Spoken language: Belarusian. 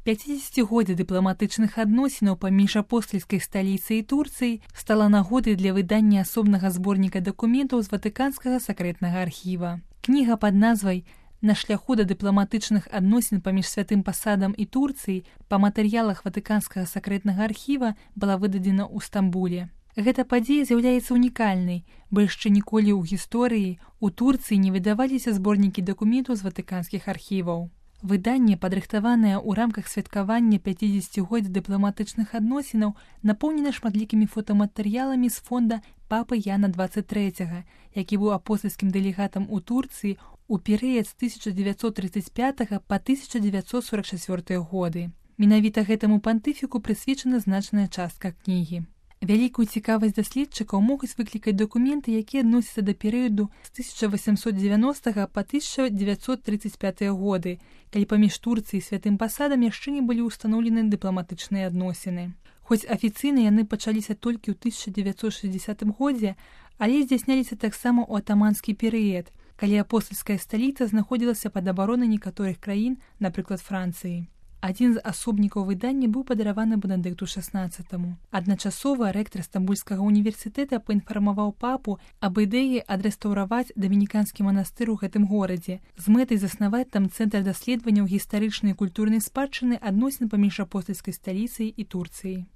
50-годдзе дыпламатычных адносінаў паміж апостальскай сталіцай і Турцыяй стала нагодай для выдання асобнага зборніка дакументаў з ватыканскага сакрэтнага архіва. Кніга пад назвай «На шляху да дыпламатычных адносін паміж святым пасадам і Турцыяй» па матэрыялах ватыканскага сакрэтнага архіва была выдадзена ў Стамбуле. Гэта падзея з'яўляецца унікальнай, бо яшчэ ніколі ў гісторыі ў Турцыі не выдаваліся зборнікі дакументаў з ватыканскіх архіваў. Выданне, падрыхтаванае ў рамках святкавання 50-годдзя дыпламатычных адносінаў, напоўнена шматлікімі фотаматэрыяламі з фонда папы Яна 23, які быў апостальскім дэлегатам у Турцыі ў перыяд з 1935 па 1944 годы. Менавіта гэтаму пантыфіку прысвечана значная частка кнігі. Вялікую цікавасць даследчыкаў могуць выклікаць дакументы, якія адносяцца да перыяду з 1890 па 1935 годы, калі паміж Турцыяй і святым пасадам яшчэ не былі ўстаноўлены дыпламатычныя адносіны. Хоць афіцыйна яны пачаліся толькі ў 1960 годзе, але здзяйсняліся таксама ў атаманскі перыяд, калі апостальская сталіца знаходзілася пад абаронай некаторых краін, напрыклад, Францыі. Адзін з асобнікаў выдання быў падараваны Бенедыкту XVI. Адначасова рэктар Стамбульскага універсітэта паінфармаваў папу аб ідэі адрэстаўраваць дамініканскі манастыр у гэтым горадзе з мэтай заснаваць там цэнтр даследаванняў гістарычнай і культурнай спадчыны адносін паміж апостальскай сталіцай і Турцыяй.